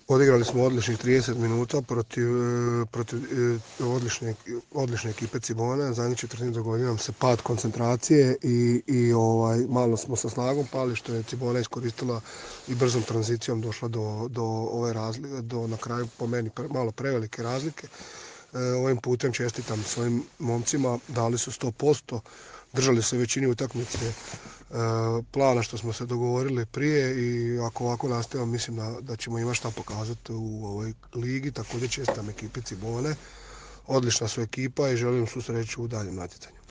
Odigrali smo odličnih 30 minuta protiv odlične ekipe Cibone. Zadnjih četvrtini dogodio nam se pad koncentracije i malo smo sa snagom pali što je Cibona iskoristila i brzom tranzicijom došla do ove razlike, do na kraju po meni malo prevelike razlike. Ovim putem čestitam svojim momcima, dali su 100%, držali se većini utakmice plana što smo se dogovorili prije i ako ovako nastavimo mislim da ćemo imati šta pokazati u ovoj ligi. Također čestitam ekipi Cibone, odlična su ekipa i želim svu sreću u daljem natjecanju.